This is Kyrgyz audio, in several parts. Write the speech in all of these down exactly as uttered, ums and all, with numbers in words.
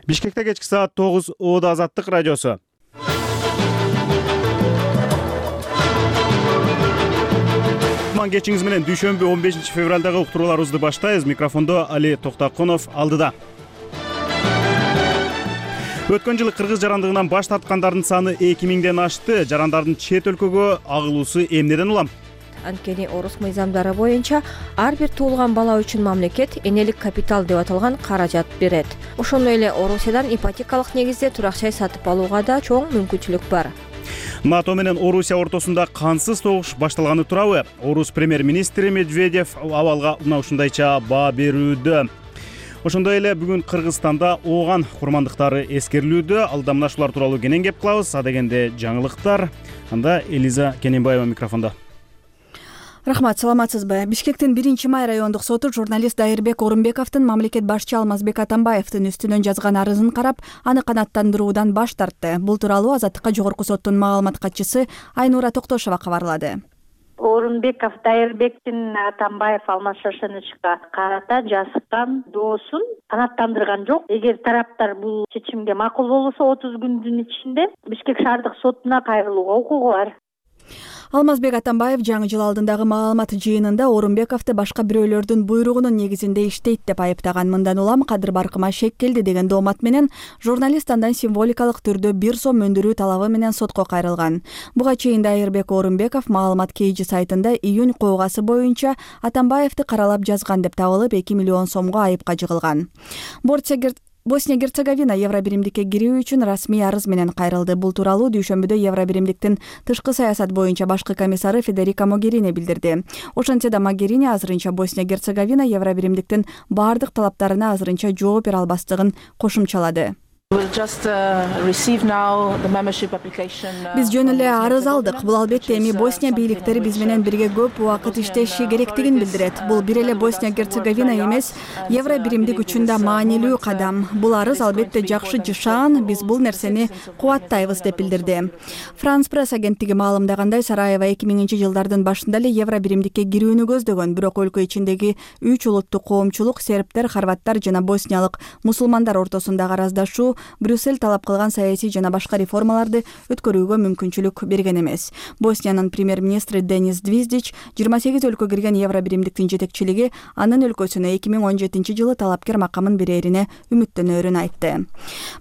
Бишкекте кечки саат тогуз Оодо Азаттык радиосу. Кутман кечиңиз менен дүйшөмбү он бешинчи февралдагы уктурууларыбызды баштайбыз. Микрофондо Али Токтокунов алдыда. Өткөн жылы кыргыз жарандыгынан баш тарткандардын саны эки миңден ашты. Жарандардын чет өлкөгө агылуусу эмнеден улам? Анткени орус мыйзамдары боюнча ар бир туулган бала үчүн мамлекет энелик капитал деп аталган каражат берет. Ошондой эле Орусиядан ипотекалык негизде турак жай сатып алууга да чоң мүмкүнчүлүк бар. НАТО менен Орусия ортосунда кансыз согуш башталганы туурабы? Орус премьер-министри Медведев абалга мына ушундайча баа берүүдө. Ошондой эле бүгүн Кыргызстанда ооган курмандыктары эскерилүүдө. Алда мына ушулар тууралуу кенен кеп кылабыз. Адегенде жаңылыктар. Анда Элиза Кененбаева микрофондо. Рахмат, саламатсызбы? Бишкектин биринчи май райондук соту журналист Дайырбек Орунбековдун мамлекет башчы Алмазбек Атамбаевдин үстүнөн жазган арызын карап, аны канааттандыруудан баш тартты. Бул тууралуу Азаттыкка жогорку соттун маалымат катчысы Айнура Токтошова кабарлады. Орунбеков Дайырбектин Атамбаев Алмаз Шашеновичке карата жазган доосун канааттандырган жок. Эгер тараптар бул чечимге макул болбосо отуз күндүн ичинде Бишкек шаардык сотуна кайрылууга укугу бар. Алмазбек Атамбаев жаңы жыл алдындагы маалымат жыйынында Орунбековду башка бирөөлөрдүн буйругунун негизинде иштейт деп айыптаган. Мындан улам кадыр баркыма шек келди деген доомат менен журналист андан символикалык түрдө бир сом өндүрүү талабы менен сотко кайрылган. Буга чейин Дайырбек Орунбеков маалымат кейжи сайтында июнь куугасы боюнча Атамбаевди каралап жазган деп табылып эки миллион сомго айыпка жыгылган. Босния-Герцеговина Евробиримдикке кирүү үчүн расмий арыз менен кайрылды. Бул тууралуу дүйшөмбүдө Евробиримдиктин тышкы саясат боюнча башкы комиссары Федерика Могерини билдирди. Ошентсе да Могерини азырынча Босния-Герцеговина Евробиримдиктин баардык талаптарына азырынча жооп бере албастыгын кошумчалады. Биз жөн эле арыз алдык. Бул албетте эми Босния бийликтери биз менен бирге көп убакыт иштеши керектигин билдирет. Бул бир эле Босния-Герцеговина эмес, Евробиримдик үчүн да маанилүү кадам. Бул арыз албетте жакшы жышаан, биз бул нерсени кубаттайбыз деп билдирди. Франс пресс агенттиги маалымдагандай, Сараево эки миңинчи жылдардын башында эле Евробиримдикке кирүүнү көздөгөн, бирок өлкө ичиндеги үч улуттук коомчулук сербтер, хорваттар жана босниялык мусулмандар ортосундагы араздашуу Брюссель талап кылган саясий жана башка реформаларды өткөрүүгө мүмкүнчүлүк берген эмес. Босниянын премьер-министри Денис Двиздич жыйырма сегиз өлкө кирген Евробиримдиктин жетекчилиги анын өлкөсүнө эки миң он жетинчи жылы талапкер макамын берерине үмүттөнөрүн айтты.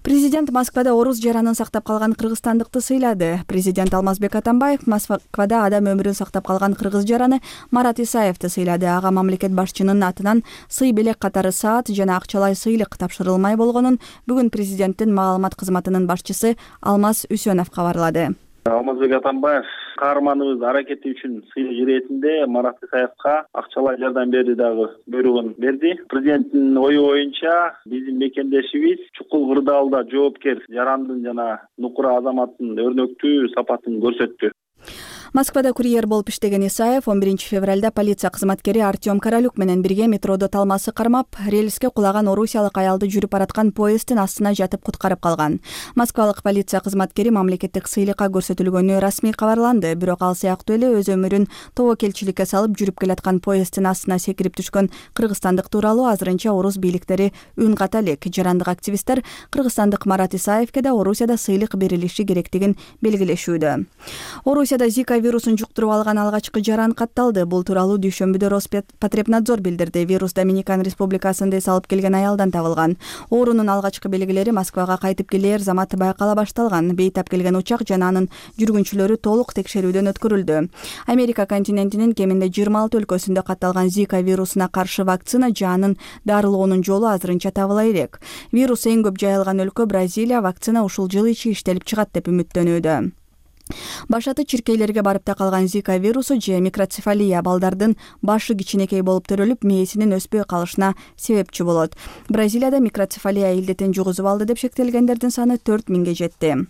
Президент Москвада орус жаранын сактап калган кыргызстандыкты сыйлады. Президент Алмазбек Атамбаев Москвада адам өмүрүн сактап калган кыргыз жараны Марат Исаевди сыйлады. Ага мамлекет башчынын атынан сый белек катары саат жана акчалай сыйлык тапшырылмай болгонун бүгүн президент маалымат кызматынын башчысы Алмаз Үсөнов кабарлады. Алмазбек Атамбаев каарманыбыз аракети үчүн сыйлык иретинде Марат Исаевка акчалай жардам берүү дагы буйругун берди. Президенттин ою боюнча биздин мекендешибиз чукул кырдаалда жоопкер жарандын жана нукура азаматтын өрнөктүү сапатын көрсөттү. Москвада курьер болуп иштеген Исаев он биринчи февралда полиция кызматкери Артем Королюк менен бирге метродо талмасы кармап, рельске кулаган орусиялык аялды жүрүп бараткан поезддин астына жатып куткарып калган. Москвалык полиция кызматкери мамлекеттик сыйлыкка көрсөтүлгөнү расмий кабарланды, бирок ал сыяктуу эле өз өмүрүн тобокелчиликке салып жүрүп келаткан поезддин астына секирип түшкөн кыргызстандык тууралуу азырынча орус бийликтери үн ката элек. Жарандык активисттер кыргызстандык Марат Исаевке да Орусияда сыйлык берилиши керектигин белгилешүүдө. Орусияда Зика вирусун жуктуруп алган алгачкы жаран катталды. Бул тууралуу дүйшөмбүдө Роспотребнадзор билдирди. Вирус Доминикан Республикасында эс алып келген аялдан табылган. Оорунун алгачкы белгилери Москвага кайтып келер замат байкала башталган. Бейтап келген учак жана анын жүргүнчүлөрү толук текшерүүдөн өткөрүлдү. Америка континентинин кеминде жыйырма алты өлкөсүндө катталган Зика вирусуна каршы вакцина жанын дарылоонун жолу азырынча табыла элек. Вирус эң көп жайылган өлкө Бразилия. Вакцина ушул жыл ичи иштелип чыгат деп үмүттөнүүдө. Башаты чиркейлерге барып такалган Зика вирусу же микроцефалия балдардын башы кичинекей болуп төрөлүп, мээсинин өспөй калышына себепчи болот. Бразилияда микроцефалия илдетин жугузуп алды деп шектелгендердин саны төрт миңге жетти.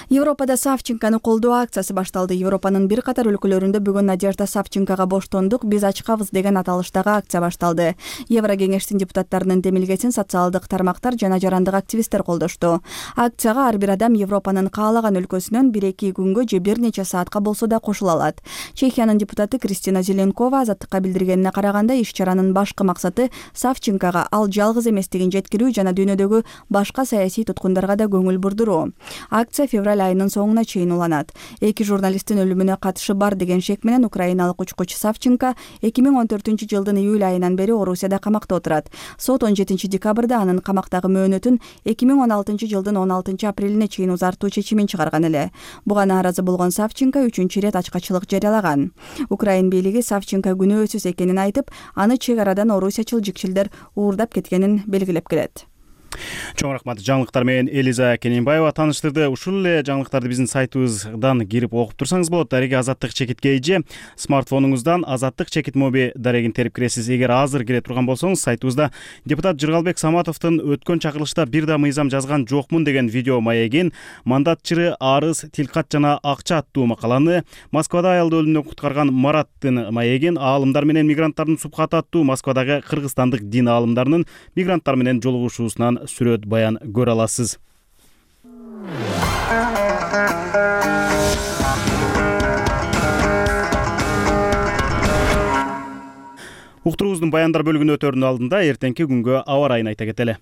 Европада Савченкону колдоо акциясы башталды. Европанын бир катар өлкөлөрүндө бүгүн Надежда Савченкага боштондук биз ачкабыз деген аталыштагы акция башталды. Еврокеңештин депутаттарынын демилгесин социалдык тармактар жана жарандык активисттер колдошту. Акцияга ар бир адам Европанын каалаган өлкөсүнөн бир эки күнгө же бир нече саатка болсо да кошула алат. Чехиянын депутаты Кристина Зеленкова азаттыкка билдиргенине караганда, иш-чаранын башкы максаты Савченкага ал жалгыз эместигин жеткирүү жана дүйнөдөгү башка саясий туткундарга да көңүл бурдуруу. Акция февраль айынын соңуна чейин уланат. Эки журналисттин өлүмүнө катышы бар деген шек менен украиналык учкуч Савченко эки миң он төртүнчү жылдын июль айынан бери Орусияда камакта отурат. Сот он жетинчи декабрда анын камактагы мөөнөтүн эки миң он алтынчы жылдын он алтынчы апрелине чейин узартуу чечимин чыгарган эле. Буга нааразы болгон Савченко үчүнчү ирет ачкачылык жарыялаган. Украин бийлиги Савченко күнөөсүз экенин айтып, аны чек арадан орусиячыл жикшилдер уурдап кеткенин белгилеп келет. Чоң рахмат. Жаңылыктар менен Элиза Кененбаева тааныштырды. Ушул эле жаңылыктарды биздин сайтыбыздан кирип окуп турсаңыз болот. Дареги азаттык чекитке эже смартфонуңуздан азаттык чекит моби дарегин терип киресиз. Эгер азыр кире турган болсоңуз, сайтыбызда депутат Жыргалбек Саматовдун өткөн чакырылышта бир да мыйзам жазган жокмун деген видео маегин, мандат чыры, арыз, тилкат жана акча аттуу макаланы, Москвада аялды өлүмдөн куткарган Мараттын маегин, аалымдар менен мигранттардын субхаты аттуу Москвадагы кыргызстандык дин аалымдарынын мигранттар менен жолугушуусунан сүрөт баян көрө аласыз. Уктуруубуздун баяндар бөлүгүнө өтөрүнүн алдында эртеңки күнгө аба ырайын айта кетели.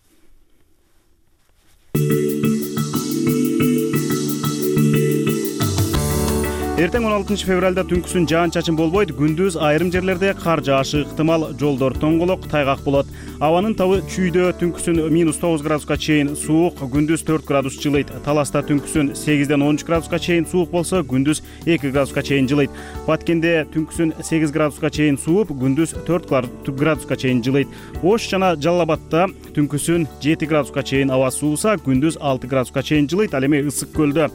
Эртең он алтынчы февралда түнкүсүн жаан-чачын болбойт, күндүз айрым жерлерде кар жаашы ыктымал, жолдор тоңголок, тайгак болот. Абанын табы чүйдө түнкүсүн минус тогуз градуска чейин суук, күндүз төрт градус жылыйт. Таласта түнкүсүн сегизден он үч градуска чейин суук болсо, күндүз эки градуска чейин жылыйт. Баткенде түнкүсүн сегиз градуска чейин сууп, күндүз төрт градуска чейин жылыйт. Ош жана Жалал Абадта түнкүсүн жети градуска чейин аба сууса, күндүз алты градуска чейин жылыйт. Ал эми Ысык көлдө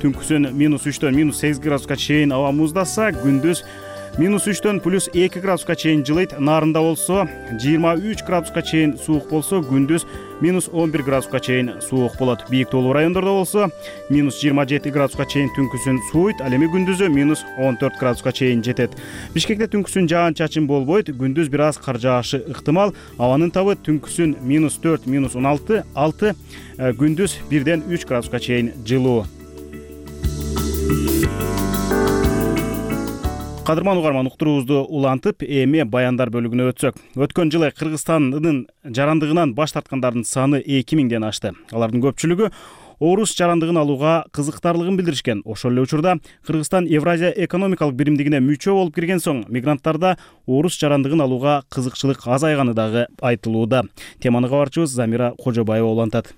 түнкүсүн минус үчтөн минус сегиз градуска чейин аба муздаса, күндүз минус үчтөн плюс эки градуска чейин жылыйт. Нарында болсо жыйырма үч градуска чейин суук болсо, күндүз минус он бир градуска чейин суук болот. Бийик тоолуу райондордо болсо минус жыйырма жети градуска чейин түнкүсүн сууйт, ал эми күндүзү минус он төрт градуска чейин жетет. Бишкекте түнкүсүн жаан-чачын болбойт, күндүз бир аз кар жаашы ыктымал. Абанын табы түнкүсүн минус төрт минус он алты алты, күндүз бирден үч градуска чейин жылуу. Кадырман угарман, уктуруубузду улантып, эми баяндар бөлүгүнө өтсөк. Өткөн жылы Кыргызстандын жарандыгынан баш тарткандардын саны эки миңден ашты. Алардын көпчүлүгү орус жарандыгын алууга кызыктарлыгын билдиришкен. Ошол эле учурда Кыргызстан Евразия экономикалык биримдигине мүчө болуп кирген соң, мигранттарда орус жарандыгын алууга кызыкчылык азайганы дагы айтылууда. Теманы кабарчыбыз Замира Кожобаева улантат.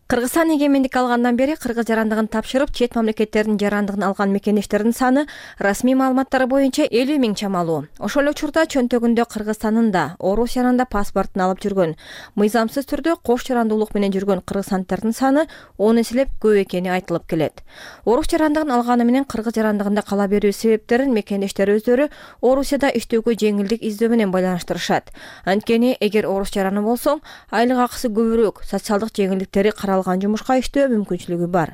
Кыргызстан эгемендик алгандан бери кыргыз жарандыгын тапшырып, чет мамлекеттердин жарандыгын алган мекендештердин саны расмий маалыматтар боюнча элүү миң чамалуу. Ошол эле учурда чөнтөгүндө Кыргызстандын да, Орусиянын да паспортун алып жүргөн, мыйзамсыз түрдө кош жарандуулук менен жүргөн кыргызстанддардын саны он эселеп көп экени айтылып келет. Орус жарандыгын алганы менен кыргыз жарандыгында кала берүү себептерин мекендештер өздөрү Орусияда иштөөгө жеңилдик издөө менен байланыштырышат. Анткени эгер орус жараны болсоң, айлык акысы көбүрөөк, социалдык жеңилдиктери алган жумушка иштөө мүмкүнчүлүгү бар.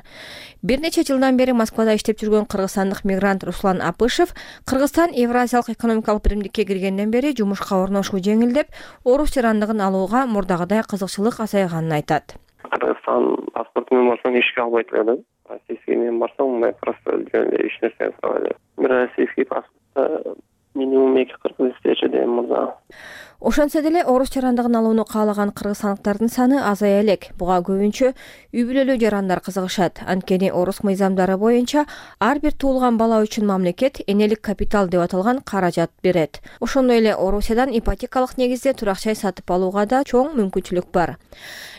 Бир нече жылдан бери Москвада иштеп жүргөн кыргызстандык мигрант Руслан Апышев Кыргызстан Евразиялык экономикалык биримдикке киргенден бери жумушка орношуу жеңилдеп, орус жарандыгын алууга мурдагыдай кызыкчылык азайганын айтат. Кыргызстан паспорту менен барсаң ишке албайт эле да. Российский менен барсаң, мындай просто жөн эле иш нерсени сурап эле. Российский паспортто минимум эки кыргыз иштечү дейм мурда. Ошонсо деле орус жарандыгын алууну каалаган кыргызстандыктардын саны азая элек. Буга көбүнчө үй бүлөлүү жарандар кызыгышат. Анткени орус мыйзамдары боюнча ар бир туулган бала үчүн мамлекет энелик капитал деп аталган каражат берет. Ошондой эле Орусиядан ипотекалык негизде турак жай сатып алууга да чоң мүмкүнчүлүк бар.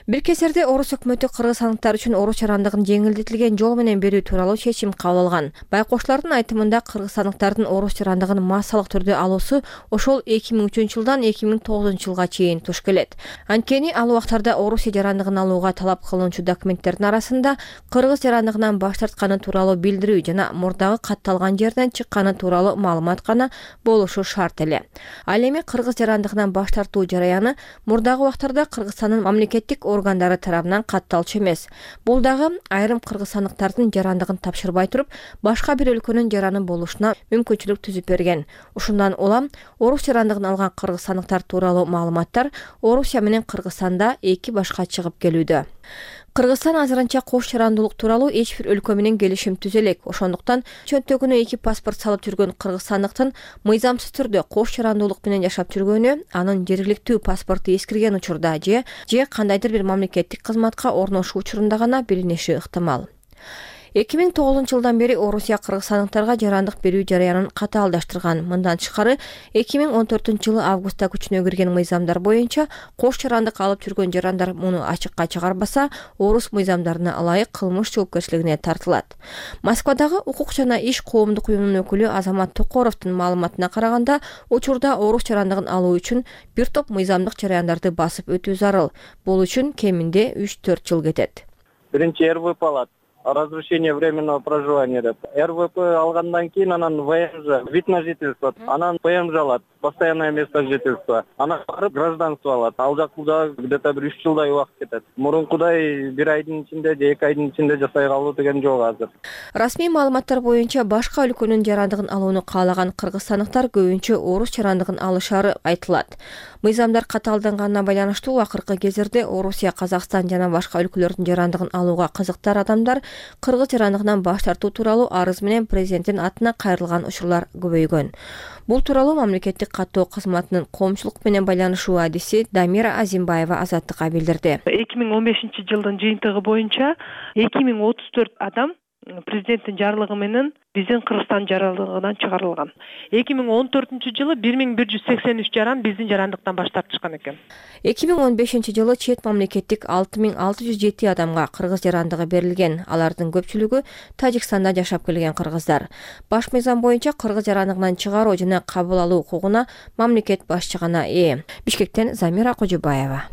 Бир кезерде орус өкмөтү кыргызстандыктар үчүн орус жарандыгын жеңилдетилген жол менен берүү тууралуу чечим кабыл алган. Байкоштардын айтымында кыргызстандыктардын орус жарандыгын массалык түрдө алуусу ошол эки миң үчүнчү жылдан эки миң миң тогузунчу жылга чейин туш келет. Анткени ал убактарда Орусия жарандыгын алууга талап кылынчу документтердин арасында кыргыз жарандыгынан баш тартканы тууралуу билдирүү жана мурдагы катталган жерден чыкканы тууралуу маалымат гана болушу шарт эле. Ал эми кыргыз жарандыгынан баш тартуу жараяны мурдагы убактарда Кыргызстандын мамлекеттик органдары тарабынан катталчу эмес. Бул дагы айрым кыргызстандыктардын жарандыгын тапшырбай туруп, башка бир өлкөнүн жараны болушуна мүмкүнчүлүк түзүп берген. Ушундан улам орус жарандыгын алган кыргызстандыктар тууралуу маалыматтар Орусия менен Кыргызстанда эки башка чыгып келүүдө. Кыргызстан азырынча кош жарандуулук тууралуу эч бир өлкө менен келишим түзө элек. Ошондуктан чөнтөгүнө эки паспорт салып жүргөн кыргызстандыктын мыйзамсыз түрдө кош жарандуулук менен жашап жүргөнү, анын жергиликтүү паспорту эскирген учурда же же кандайдыр бир мамлекеттик кызматка орношуу учурунда гана билиниши ыктымал. эки миң тогузунчу жылдан бери Орусия кыргызстандыктарга жарандык берүү жараянын катаалдаштырган. Мындан тышкары эки миң он төртүнчү жылы августта күчүнө кирген мыйзамдар боюнча кош жарандык алып жүргөн жарандар муну ачыкка чыгарбаса, орус мыйзамдарына ылайык кылмыш жоопкерчилигине тартылат. Москвадагы укук жана иш коомдук уюмунун өкүлү Азамат Токоровдун маалыматына караганда, учурда орус жарандыгын алуу үчүн бир топ мыйзамдык жараяндарды басып өтүү зарыл. Бул үчүн кеминде үч төрт жыл кетет. Биринчи эр вэ пэ алат. Разрешение временного проживания деп. эр вэ пэ алгандан кийин анан вэ эм жэ, вид на жительство, анан вэ эм жэ алат, постоянное место жительства. Анан барып гражданство алат. Ал жакта где-то бир үч жылдай убакыт кетет. Мурункудай бир айдын ичинде же эки айдын ичинде жасай калуу деген жок азыр. Расмий маалыматтар боюнча башка өлкөнүн жарандыгын алууну каалаган кыргызстандыктар көбүнчө орус жарандыгын алышары айтылат. Мыйзамдар катаалданганына байланыштуу акыркы кездерде Орусия, Казакстан жана башка өлкөлөрдүн жарандыгын алууга кызыктар адамдар кыргыз жарандыгынан баш тартуу тууралуу арыз менен президенттин атына кайрылган учурлар көбөйгөн. Бул тууралуу мамлекеттик каттоо кызматынын коомчулук менен байланышуу адиси Дамира Азимбаева Азаттыкка билдирди. эки миң он бешинчи жылдын жыйынтыгы боюнча эки миң отуз төрт адам президенттин жарлыгы менен биздин Кыргызстан жарандыгынан чыгарылган. эки миң он төртүнчү жылы бир миң бир жүз сексен үч жаран биздин жарандыктан баш тартышкан экен. эки миң он бешинчи жылы чет мамлекеттик алты миң алты жүз жети адамга кыргыз жарандыгы берилген. Алардын көпчүлүгү Тажикстанда жашап келген кыргыздар. Баш мыйзам боюнча кыргыз жарандыгынан чыгаруу жана кабыл алуу укугуна мамлекет башчы гана ээ. Бишкектен Замира Кожобаева.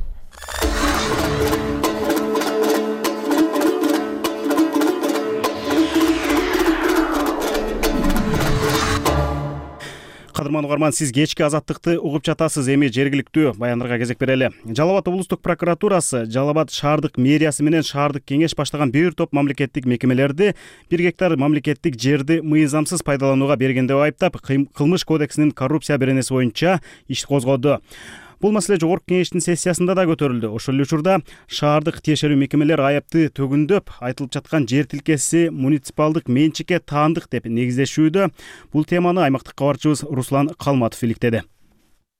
Кадырман угарман, сиз кечки азаттыкты угуп жатасыз. Эми жергиликтүү баяндарга кезек берели. Жалал Абад облустук прокуратурасы Жалал Абад шаардык мэриясы менен шаардык кеңеш баштаган бир топ мамлекеттик мекемелерди бир гектар мамлекеттик жерди мыйзамсыз пайдаланууга берген деп айыптап, кылмыш кодексинин коррупция беренеси боюнча иш козгоду. Бул маселе жогорку кеңештин сессиясында да көтөрүлдү. Ошол эле учурда шаардык тиешелүү мекемелер айыпты төгүндөп, айтылып жаткан жер тилкеси муниципалдык менчикке таандык деп негиздешүүдө. Бул теманы аймактык кабарчыбыз Руслан Калматов иликтеди.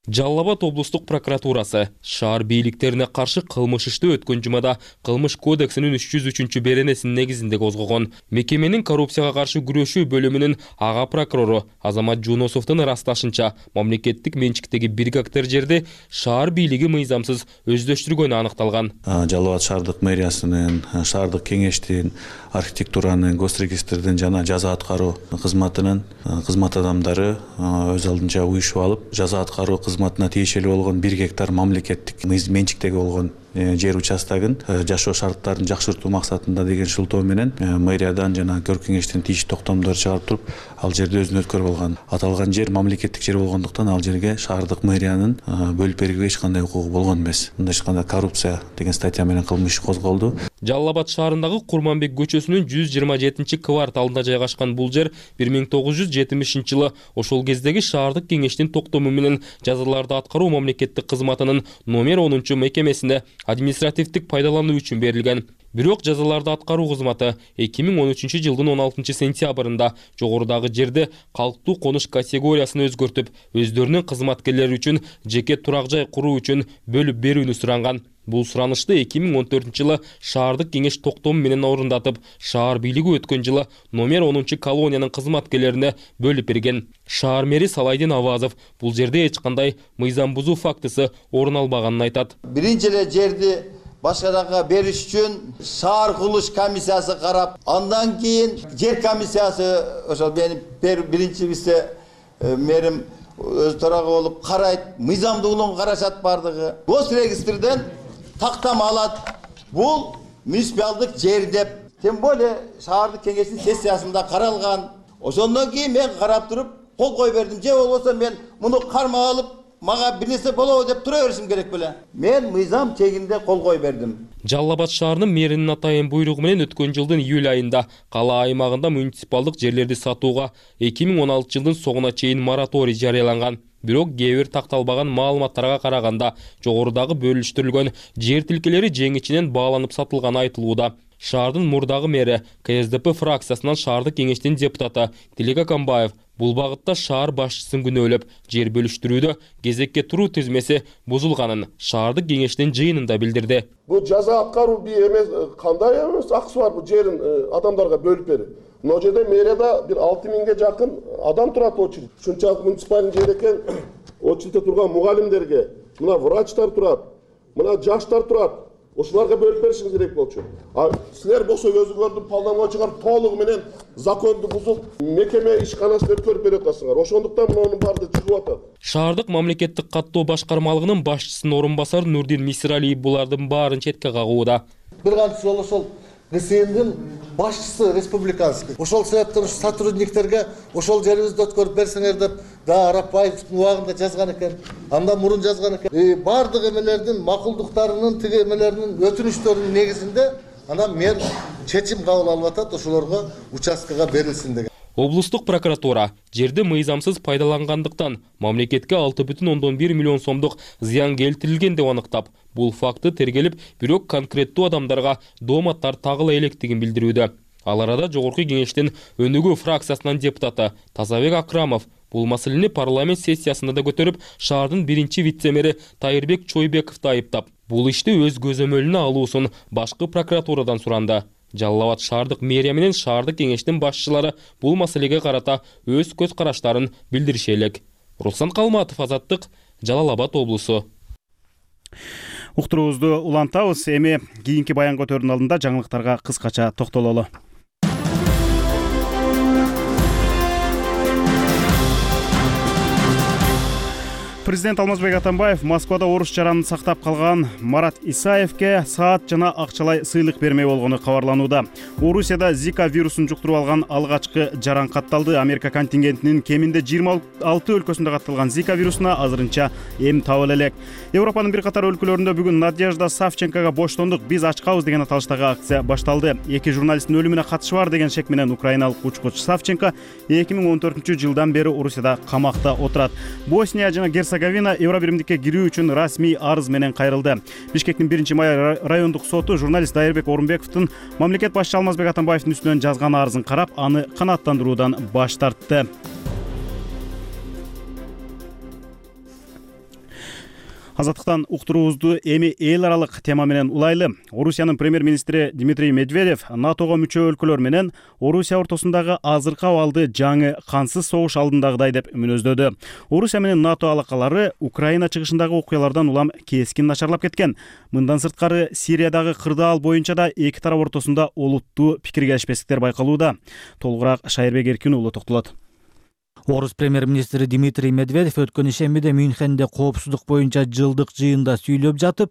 Жалал Абад облустук прокуратурасы шаар бийликтерине каршы кылмыш ишти өткөн жумада кылмыш кодексинин үч жүз үчүнчү беренесинин негизинде козгогон. Мекеменин коррупцияга каршы күрөшүү бөлүмүнүн ага прокурору Азамат Жунусовдун ырасташынча, мамлекеттик менчиктеги бир гектар жерди шаар бийлиги мыйзамсыз өздөштүргөнү аныкталган. Жалал Абад шаардык мэриясынын, шаардык кеңештин, архитектуранын, госрегистрдин жана жаза аткаруу кызматынын кызмат адамдары өз алдынча уюшуп алып, жаза аткаруу кызматына тиешелүү болгон бир гектар мамлекеттик менчиктеги болгон жер участогун жашоо шарттарын жакшыртуу максатында деген шылтоо менен мэриядан жана көркү кеңештин тийиштүү токтомдору чыгарып туруп, ал жерди өзүнө өткөрүп алган. Аталган жер мамлекеттик жер болгондуктан ал жерге шаардык мэриянын бөлүп берүүгө эч кандай укугу болгон эмес. Мындай эч кандай коррупция деген статья менен кылмыш козголду. Жалал Абад шаарындагы Курманбек көчөсүнүн жүз жыйырма жетинчи кварталында жайгашкан бул жер бир миң тогуз жүз жетимишинчи жылы ошол кездеги шаардык кеңештин токтому менен жазаларды аткаруу мамлекеттик кызматынын номер онунчу мекемесине административдик пайдалануу үчүн берилген. Бирок жазаларды аткаруу кызматы эки миң он үчүнчү жылдын он алтынчы сентябрында жогорудагы жерди калктуу конуш категориясына өзгөртүп, өздөрүнүн кызматкерлери үчүн жеке турак жай куруу үчүн бөлүп берүүнү суранган. Бул суранышты эки миң он төртүнчү жылы шаардык кеңеш токтому менен орундатып, шаар бийлиги өткөн жылы номер онунчу колониянын кызматкерлерине бөлүп берген. Шаар мэри Салайдин Авазов бул жерде эч кандай мыйзам бузуу фактысы орун албаганын айтат. Биринчи эле жерди башкадарга бериш үчүн шаар курулуш комиссиясы карап, андан кийин жер комиссиясы ошол менин биринчи вице мэрим өз тарагы болуп карайт, мыйзамдуулугун карашат бардыгы. Госрегистрден тактама алат. Бул муниципалдык жер деп, тем более шаардык кеңештин сессиясында каралган. Ошондон кийин мен карап туруп кол кой бердим. Же болбосо мен муну кармак алып, мага бир нерсе болобу деп тура беришим керек беле. Мен мыйзам чегинде кол кой бердим. Жалал Абад шаарынын мэринин атайын буйругу менен өткөн жылдын июль айында кала аймагында муниципалдык жерлерди сатууга эки миң он алтынчы жылдын соңуна чейин мораторий жарыяланган. Бирок кээ бир такталбаган маалыматтарга караганда жогорудагы бөлүштүрүлгөн жер тилкелери жеңичинен бааланып сатылганы айтылууда. Шаардын мурдагы мэри К С Д П фракциясынан шаардык кеңештин депутаты Тилек Акамбаев бул багытта шаар башчысын күнөөлөп, жер бөлүштүрүүдө кезекке туруу тизмеси бузулганын шаардык кеңештин жыйынында билдирди. Бул жаза аткаруу бир эмес, кандай эмес акысы бар бул жерин адамдарга бөлүп берип. Мына жерде мэрияда бир алты миңге жакын адам турат очередь. Ушунчалык муниципалдык жер экен, очередте турган мугалимдерге, мына врачтар турат, мына жаштар турат. Ошолорго бөлүп беришиңиз керек болчу. А силер болсо өзүңөрдүн полномочия чыгарып толугу менен законду бузуп, мекеме ишканасын өткөрүп берип атасыңар. Ошондуктан мунун баары чыгып атат. Шаардык мамлекеттик каттоо башкармалыгынын башчысынын орун басары Нурдин Мисиралиев булардын баарын четке кагууда. Бир канча жолу ошол Г С Мдин башчысы республиканский. Ошол себептен сотрудниктерге ошол жерибизди өткөрүп берсеңер деп да Арапбаевдин убагында жазган экен. Андан мурун жазган экен. И бардык эмелердин макулдуктарынын, тиги эмелеринин өтүнүчтөрүнүн негизинде анан мэр чечим кабыл алып атат, ошолорго участкага берилсин деген. Облустук прокуратура жерди мыйзамсыз пайдалангандыктан мамлекетке алты бүтүн ондон бир миллион сомдук зыян келтирилген деп аныктап, бул факты тергелип, бирок конкреттүү адамдарга дооматтар тагыла электигин билдирүүдө. Ал арада жогорку кеңештин Өнүгүү фракциясынын депутаты Тазабек Акрамов бул маселени парламент сессиясында да көтөрүп, шаардын биринчи вице-мэри Тайырбек Чойбековду айыптап, бул ишти өз көзөмөлүнө алуусун башкы прокуратурадан суранды. Жалал Абад шаардык мэрия менен шаардык кеңештин башчылары бул маселеге карата өз көз караштарын билдириши элек. Руслан Калматов, Азаттык, Жалал Абад облусу. Уктуруубузду улантабыз. Эми кийинки баян көтөрүүнүн алдында жаңылыктарга кыскача токтололу. Президент Алмазбек Атамбаев Москвада орус жаранын сактап калган Марат Исаевке саат жана акчалай сыйлык бермей болгону кабарланууда. Орусияда Зика вирусун жуктуруп алган алгачкы жаран катталды. Америка контингентинин кеминде жыйырма алты өлкөсүндө катталган Зика вирусуна азырынча эм табыла элек. Европанын бир катар өлкөлөрүндө бүгүн Надежда Савченкога боштондук, биз ачкабыз деген аталыштагы акция башталды. Эки журналисттин өлүмүнө катышы бар деген шек менен украиналык учкуч Савченко эки миң он төртүнчү жылдан бери Орусияда камакта отурат. Босния жана Герцеговина Евробиримдикке кирүү үчүн расмий арыз менен кайрылды. Бишкектин биринчи май райондук соту журналист Дайырбек Орунбековдун мамлекет башчысы Алмазбек Атамбаевдин үстүнөн жазган арызын карап, аны канааттандыруудан баш тартты. Азаттыктан уктуруубузду эми эл аралык тема менен улайлы. Орусиянын премьер-министри Дмитрий Медведев НАТОго мүчө өлкөлөр менен Орусия ортосундагы азыркы абалды жаңы кансыз согуш алдындагыдай деп мүнөздөдү. Орусия менен НАТО алакалары Украина чыгышындагы окуялардан улам кескин начарлап кеткен. Мындан сырткары Сириядагы кырдаал боюнча да эки тарап ортосунда олуттуу пикир келишпестиктер байкалууда. Толугураак Шайырбек Эркин уулу токтолот. Орус премьер-министри Дмитрий Медведев өткөн ишембиде Мюнхенде коопсуздук боюнча жылдык жыйында сүйлөп жатып,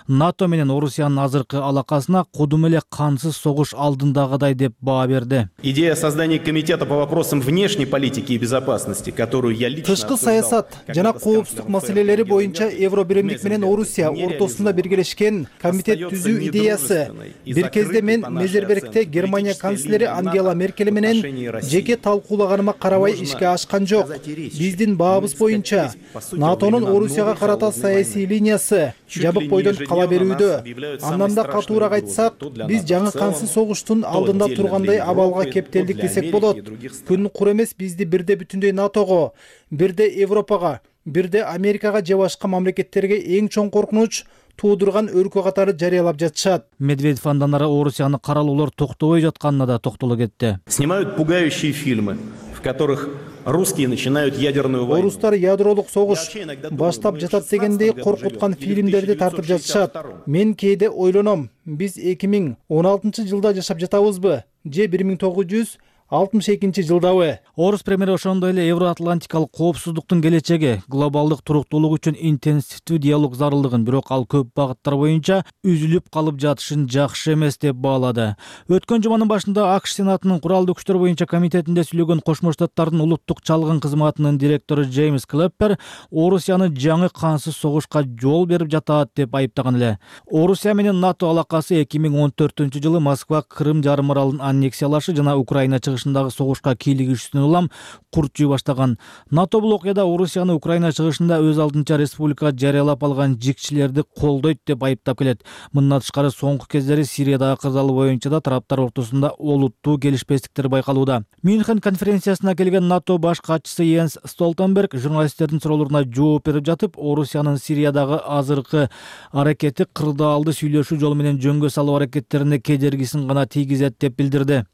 НАТО менен Орусиянын азыркы алакасына кудум эле кансыз согуш алдындагыдай деп баа берди. Идея создания комитета по вопросам внешней политики и безопасности, которую я лично тышкы саясат жана коопсуздук маселелери боюнча Евробиримдик менен Орусия ортосунда биргелешкен комитет түзүү идеясы. Бир кезде мен Мезербергте Германия канцлери Ангела Меркель менен жеке талкуулаганыма карабай ишке ашкан жок. Биздин баабыз боюнча НАТОнун Орусияга карата саясий линиясы жабык бойдон кала берүүдө. Андан да катуураак айтсак, биз жаңы кансыз согуштун алдында тургандай абалга кептелдик десек болот. Күн кур эмес бизди бирде бүтүндөй НАТОго, бирде Европага, бирде Америкага же башка мамлекеттерге эң чоң коркунуч туудурган өлкө катары жарыялап жатышат. Медведев андан ары Орусияны каралуулар токтобой жатканына да токтоло кетти. Снимают пугающие фильмы, в которых русские начинают ядерную войну. Орустар ядролук согуш баштап жатат дегендей коркуткан фильмдерди тартып жатышат. Мен кээде ойлоном, биз эки миң он алтынчы жылда жашап жатабызбы, же бир миң тогуз жүз алтымыш экинчи жылдабы. Орус премьери ошондой эле Евроатлантикалык коопсуздуктун келечеги, глобалдык туруктуулук үчүн интенсивдүү диалог зарылдыгын, бирок ал көп багыттар боюнча үзүлүп калып жатышын жакшы эмес деп баалады. Өткөн жуманын башында АКШ Сенатынын куралдуу күчтөр боюнча комитетинде сүйлөгөн Кошмо Штаттардын улуттук чалгын кызматынын директору Джеймс Клэппер Орусияны жаңы кансыз согушка жол берип жатат деп айыптаган эле. Орусия менен НАТО алакасы эки миң он төртүнчү жылы Москва Крым жарым аралын аннексиялашы жана Украина чыгышындагы согушка кийлигишүүсүнөн улам курт жуй баштаган. НАТО бул окуяда Орусияны Украина чыгышында өз алдынча республика жарыялап алган жикчилерди колдойт деп айыптап келет. Мындан тышкары соңку кездери Сириядагы кырдаал боюнча да тараптар ортосунда олуттуу келишпестиктер байкалууда. Мюнхен конференциясына келген НАТО баш катчысы Йенс Столтенберг журналисттердин суроолоруна жооп берип жатып, Орусиянын Сириядагы азыркы аракети кырдаалды сүйлөшүү жолу менен жөнгө салуу аракеттерине кедергисин гана тийгизет деп билдирди.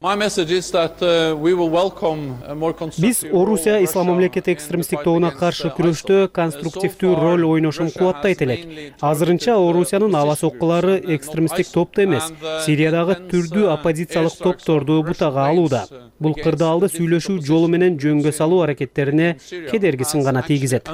Биз Орусия ислам мамлекети экстремисттик тобуна каршы күрөштө конструктивдүү роль ойношун кубаттайт элек. Азырынча Орусиянын аба соккулары экстремисттик топто эмес, Сириядагы түрдүү оппозициялык топторду бутага алууда. Бул кырдаалды сүйлөшүү жолу менен жөнгө салуу аракеттерине кедергисин гана тийгизет.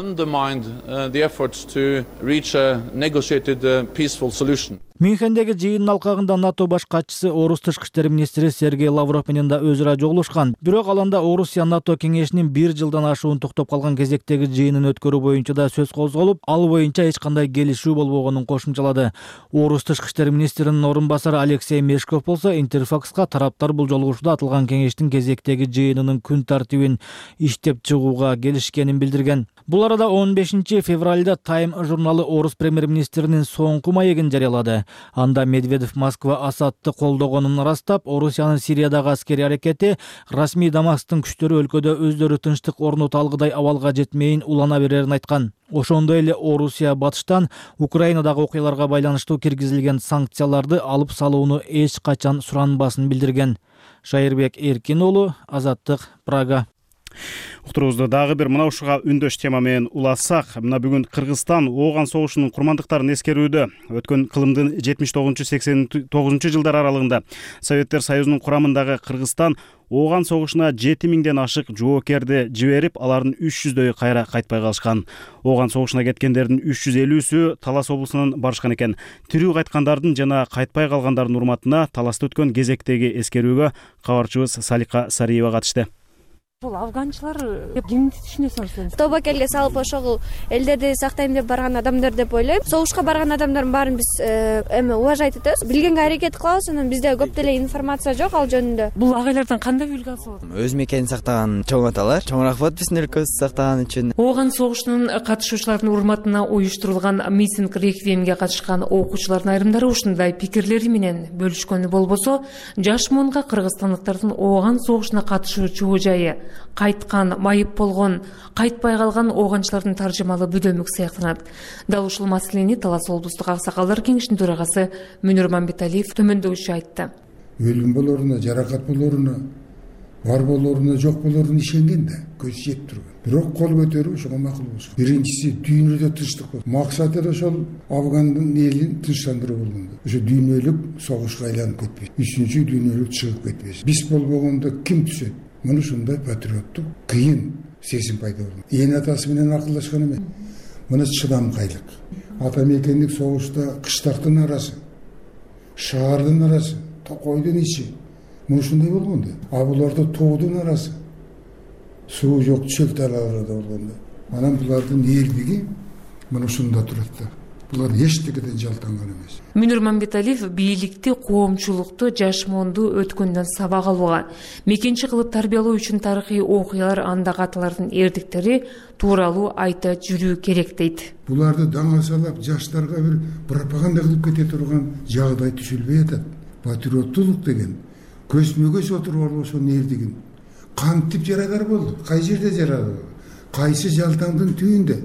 Мюнхендеги жыйындын алкагында НАТО баш катчысы Орус тышкы иштер министри Сергей Лавров менен да өз ара жолугушкан. Бирок ал анда Орусия НАТО кеңешинин бир жылдан ашуун токтоп калган кезектеги жыйынын өткөрүү боюнча да сөз козголуп, ал боюнча эч кандай келишүү болбогонун кошумчалады. Орус тышкы иштер министринин орун басары Алексей Мешков болсо Интерфакска тараптар бул жолугушууда атылган кеңештин кезектеги жыйынынын күн тартибин иштеп чыгууга келишкенин билдирген. Бул арада он бешинчи февралда Time журналы Орус премьер-министринин соңку маегин жарыялады. Анда Медведев Москва Асадты колдогонун ырастап, Орусиянын Сириядагы аскерий аракети расмий Дамасктын күчтөрү өлкөдө өздөрү тынчтык орното алгыдай абалга жетмейин улана берерин айткан. Ошондой эле Орусия батыштан Украинадагы окуяларга байланыштуу киргизилген санкцияларды алып салууну эч качан суранбасын билдирген. Шайырбек Эркин уулу, Азаттык, Прага. Уктурубузду дагы бир мына ушуга үндөш тема менен улассак, мына бүгүн Кыргызстан ооган согушунун курмандыктарын эскерүүдө. Өткөн кылымдын жетимиш тогузунчу сексен тогузунчу жылдар аралыгында Советтер Союзунун курамындагы Кыргызстан ооган согушуна жети миңден ашык жоокерди жиберип, алардын үч жүздөйү кайра кайтпай калышкан. Ооган согушуна кеткендердин үч жүз элүүсү Талас облусунан барышкан экен. Тирүү кайткандардын жана кайтпай калгандардын урматына Таласта өткөн кезектеги эскерүүгө кабарчыбыз Салика Сариева катышты. Бул афганчылар кимди түшүнөсүңүз? Тобокелге салып ошол элдерди сактайм деп барган адамдар деп ойлойм. Согушка барган адамдардын баарын биз эми уважать этебиз. Билгенге аракет кылабыз, анан бизде көп деле информация жок ал жөнүндө. Бул агайлардан кандай үлгү алса болот? Өз мекенин сактаган чоң аталар, чоң рахмат биздин өлкөбүздү сактаган үчүн. Ооган согушунун катышуучуларынын урматына уюштурулган митинг реквиемге катышкан окуучулардын айрымдары ушундай пикирлери менен бөлүшкөнү болбосо, жаш муунга кыргызстандыктардын ооган согушуна катышуу чоо жайы, кайткан, майып болгон, кайтпай калган ооганчылардын таржымалы бүдөмүк сыяктанат. Дал ушул маселени Талас облустук аксакалдар кеңешинин төрагасы Мүнүр Мамбеталиев төмөндөгүчө айтты. Өлүм болоруна, жаракат болоруна, бар болоруна, жок болоруна ишенген да, көз жеп турган. Бирок кол көтөрүү ошого макул болуш. Биринчиси дүйнөдө тынчтык болду. Максаты да ошол Афгандын элин тынчтандыруу болгон. Ошо дүйнөлүк согушка айланып кетпеш. Үчүнчү дүйнөлүк чыгып кетпеш. Биз болбогондо ким түшөт? Муну ушундай патриоттук кыйын сезим пайда болду. Ээн атасы менен акылдашкан эмес. Муну чыдамкайлык. Ата мекендик согушта кыштактын арасы, шаардын арасы, токойдун ичи. Муну ушундай болгон да. А буларда тоодун арасы, суу жок чөл талааларда болгон да. Анан булардын элдиги муну ушунда турат да. Булар эчтекеден жалтанган эмес. Мүнүр Мамбеталиев бийликти, коомчулукту, жаш муунду өткөндөн сабак алууга, мекенчи кылып тарбиялоо үчүн тарыхый окуялар, андагы аталардын эрдиктери тууралуу айта жүрүү керек дейт. Буларды даңасалап жаштарга бир пропаганда кылып кете турган жагдай түшүлбөй атат. Патриоттулук деген көзмө көз отуруп алып ошонун эрдигин кантип жарадар болду? Кай жерде жарады? Кайсы жалтаңдын түбүндө?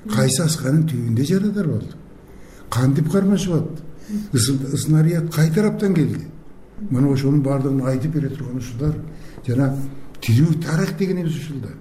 Кайсы асканын түбүндө жарадар болду? Кантип кармашып атты? Снаряд кай тараптан келди? Мына ошонун баардыгын айтып бере турган ушулар жана тирүү тарих дегенибиз ушулда.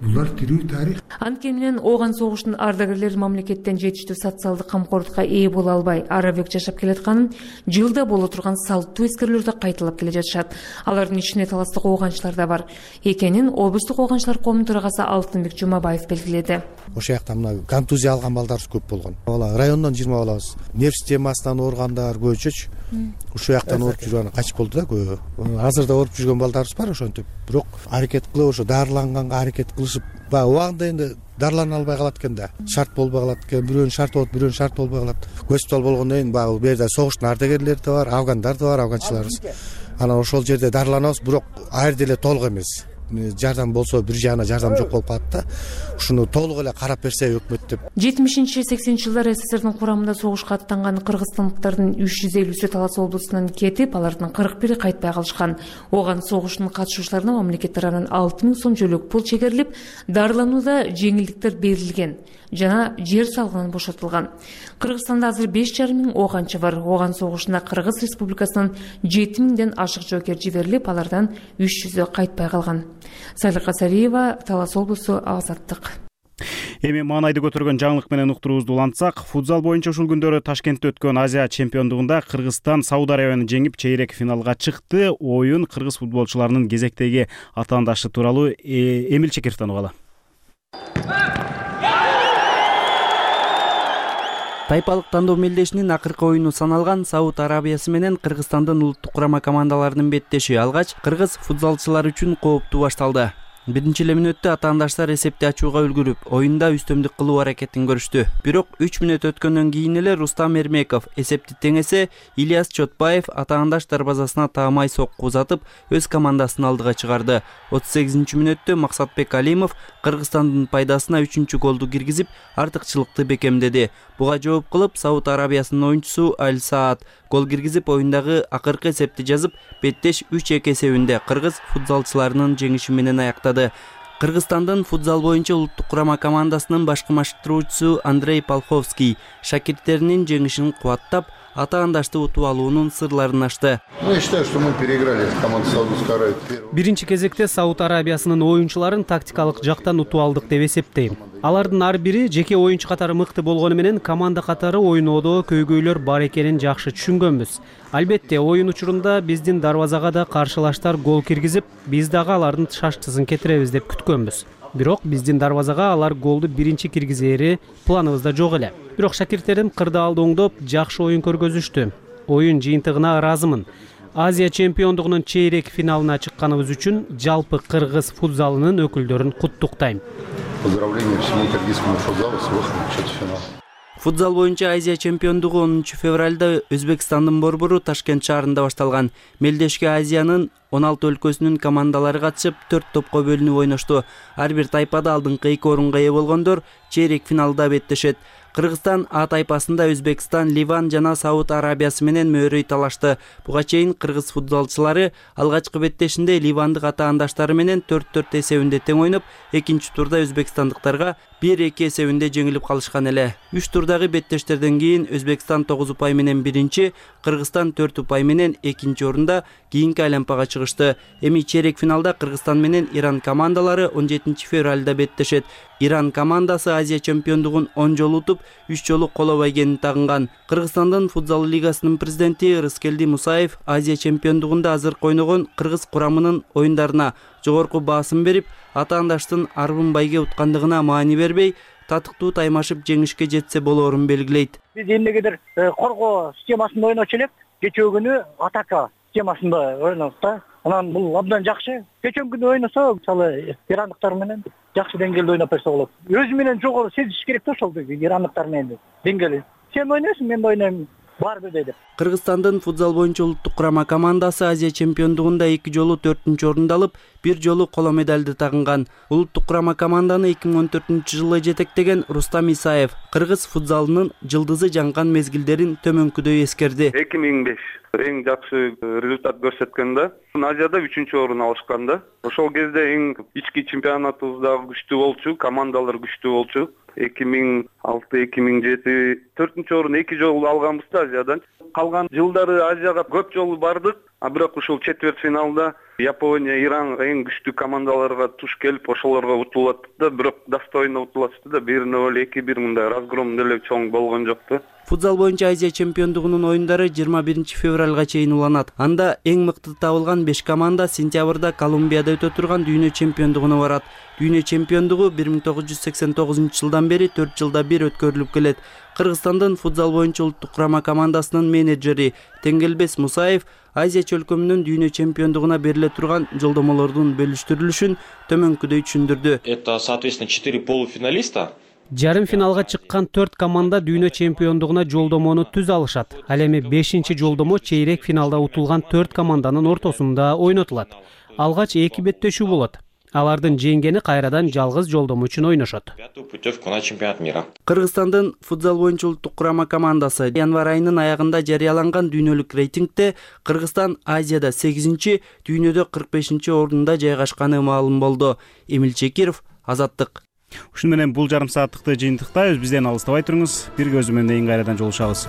Булар тирүү тарих. Анткени менен ооган согуштун ардагерлери мамлекеттен жетиштүү социалдык камкордукка ээ боло албай арабек жашап келатканын жылда боло турган салттуу эскерүүлөрдө кайталап келе жатышат. Алардын ичинде таластык ооганчылар да бар экенин облустук ооганчылар коомунун төрагасы Алтынбек Жумабаев белгиледи. Ошол жакта мына контузия алган балдарыбыз көп болгон. Бала райондон жыйырма балабыз. Нерв системасынан ооругандар көбүчөчү. Ушул жактан ооруп жүргөн качып болду да көбү. Азыр да ооруп жүргөн балдарыбыз бар ошентип. Бирок аракет кылып ошо дарыланганга аракет кылышып, баягы убагында энди дарылана албай калат экен да. Шарт болбой калат экен. Бирөөнүн шарты болот, бирөөнүн шарты болбой калат. Госпиталь болгондон кийин баягы бу жерде согуштун ардагерлери да бар, афгандар да бар, афганчыларыбыз. Анан ошол жерде дарыланабыз, бирок ар жерде эле толук эмес. Жардам болсо бир жагына жардам жок болуп калат да. Ушуну толук эле карап берсе өкмөт деп. жетимишинчи сексенинчи жылдары СССРдин курамында согушка аттанган кыргызстандыктардын үч жүз элүүсү Талас облусунан кетип, алардын кырк бири кайтпай калышкан. Ооган согуштун катышуучуларына мамлекет тарабынан алты миң сом жөлөк пул чегерилип, дарыланууда жеңилдиктер берилген жана жер салыгынан бошотулган. Кыргызстанда азыр беш жарым миң ооганчы бар. Ооган согушунда Кыргыз Республикасынан жети миңден ашык жоокер жиберилип, алардан үч жүзү кайтпай калган. Салика Сариева, Талас облусу, Азаттык. Эми маанайды көтөргөн жаңылык менен уктуруубузду улантсак, футзал боюнча ушул күндөрү Ташкентте өткөн Азия чемпиондугунда Кыргызстан Сауд Арабияны жеңип, чейрек финалга чыкты. Оюн кыргыз футболчуларынын кезектеги атаандашы тууралуу Эмил Чекировдон угалы. Тайпалык тандоо мелдешинин акыркы оюну саналган Сауд Арабиясы менен Кыргызстандын улуттук курама командаларынын беттеши алгач кыргыз футзалчылар үчүн кооптуу башталды. Биринчи эле мүнөттө атаандаштар эсепти ачууга үлгүрүп, оюнда үстөмдүк кылуу аракетин көрүштү. Бирок үч мүнөт өткөндөн кийин эле Рустам Эрмеков эсепти теңесе, Ильяс Чотбаев атаандаш дарбазасына таамай сокку узатып, өз командасын алдыга чыгарды. отуз сегизинчи мүнөттө Максатбек Алимов Кыргызстандын пайдасына үчүнчү голду киргизип, артыкчылыкты бекемдеди. Буга жооп кылып, Сауд Арабиясынын оюнчусу Аль Саад гол киргизип, оюндагы акыркы эсепти жазып, беттеш үч эки эсебинде кыргыз футзалчыларынын жеңиши менен аяктады. Кыргызстандын футзал боюнча улуттук курама командасынын башкы машыктыруучусу Андрей Полховский шакирттеринин жеңишин кубаттап, атаандашты утуп алуунун сырларын ачты. Я считаю, что мы переиграли команду Саудовской Аравии. Биринчи кезекте Сауд Арабиясынын оюнчуларын тактикалык жактан утуп алдык деп эсептейм. Алардын ар бири жеке оюнчу катары мыкты болгону менен команда катары ойноодо көйгөйлөр бар экенин жакшы түшүнгөнбүз. Албетте, оюн учурунда биздин дарбазага да каршылаштар гол киргизип, биз дагы алардын шаштысын кетиребиз деп күткөнбүз. Бирок биздин дарбазага алар голду биринчи киргизери планыбызда жок эле. Бирок шакирттерим кырдаалды оңдоп, жакшы оюн көргөзүштү. Оюн жыйынтыгына ыраазымын. Азия чемпиондугунун чейрек финалына чыкканыбыз үчүн жалпы кыргыз футзалынын өкүлдөрүн куттуктайм. Поздравления всему кыргызскому футзалу с выходом в четвертьфинал. Футзал боюнча Азия чемпиондугу онунчу февралда Өзбекстандын борбору Ташкент шаарында башталган. Мелдешке Азиянын он алты өлкөсүнүн командалары катышып, төрт топко бөлүнүп ойношту. Ар бир тайпада алдыңкы эки орунга ээ болгондор чейрек финалда беттешет. Кыргызстан А тайпасында Өзбекстан, Ливан жана Сауд Арабиясы менен мөөрөй талашты. Буга чейин кыргыз футзалчылары алгачкы беттешинде ливандык атаандаштары менен төрт төрт эсебинде тең ойноп, экинчи турда өзбекстандыктарга бир эки эсебинде жеңилип калышкан эле. үч турдагы беттештерден кийин Өзбекстан тогуз упай менен биринчи, Кыргызстан төрт упай менен экинчи орунда кийинки айланпага чыгышты. Эми чейрек финалда Кыргызстан менен Иран командалары он жетинчи февралда беттешет. Иран командасы Азия чемпиондугун он жолу утуп, үч жолу коло байгенин тагынган. Кыргызстандын футзал лигасынын президенти Рыскелди Мусаев Азия чемпиондугунда азыркы ойногон кыргыз курамынын оюндарына жогорку баасым берип, атаандаштын арбын байге уткандыгына маани бербей, татыктуу таймашып жеңишке жетсе болоорун белгилейт. Биз эмнегедир коргоо системасында ойночу элек, кечээ күнү атака системасында ойнодук да. Анан бул абдан жакшы. Кечээ күнү ойносо, мисалы, ирандыктар менен жакшы деңгээлде ойноп берсе болот. Өзү менен жогору сезиш керек да ошол ирандыктар менен деңгээли. Сен ойнойсуң, мен ойнойм. Бар бир дейди. Кыргызстандын футзал боюнча улуттук курама командасы Азия чемпиондугунда эки жолу төртүнчү орунду алып, бир жолу коло медалды тагынган. Улуттук курама команданы эки миң он төртүнчү жылы жетектеген Рустам Исаев кыргыз футзалынын жылдызы жанган мезгилдерин төмөнкүдөй эскерди. эки миң беш эң жакшы результат көрсөткөн да. Азияда үчүнчү орун алышкан да. Ошол кезде эң ички чемпионатыбыз дагы күчтүү болчу, командалар күчтүү болчу. эки миң алты эки миң жети төртүнчү орун эки жолу алганбыз да Азиядан. Калган жылдары Азияга көп жолу бардык, а бирок ушул четверть финалда Япония, Иран эң күчтүү командаларга туш келип, ошолорго утулуп атты да, бирок достойно утулуп атты да, бир ноль, эки бир мындай разгром деле чоң болгон жок да. Футзал боюнча Азия чемпиондугунун оюндары жыйырма биринчи февралга чейин уланат. Анда эң мыкты табылган беш команда сентябрда Колумбияда өтө турган дүйнө чемпиондугуна барат. Дүйнө чемпиондугу бир миң тогуз жүз сексен тогузунчу жылдан бери төрт жылда бир өткөрүлүп келет. Кыргызстандын футзал боюнча улуттук курама командасынын менеджери Теңгелбес Мусаев Азия чөлкөмүнүн дүйнө чемпиондугуна бериле турган жолдомолордун бөлүштүрүлүшүн төмөнкүдөй түшүндүрдү. Это, соответственно, четыре полуфиналиста. Жарым финалга чыккан төрт команда дүйнө чемпиондугуна жолдомону түз алышат. Ал эми бешинчи жолдомо чейрек финалда утулган төрт команданын ортосунда ойнотулат. Алгач эки беттешүү болот. Алардын жеңгени кайрадан жалгыз жолдомо үчүн ойношот. Путевку на чемпионат мира. Кыргызстандын футзал боюнча улуттук курама командасы январь айынын аягында жарыяланган дүйнөлүк рейтингде Кыргызстан Азияда сегизинчи, дүйнөдө кырк бешинчи орунда жайгашканы маалым болду. Эмил Чекиров, Азаттык. Ушуну менен бул жарым сааттыкты жыйынтыктайбыз. Бизден алыстабай туруңуз. Бир көзү менен кайрадан жолугушабыз.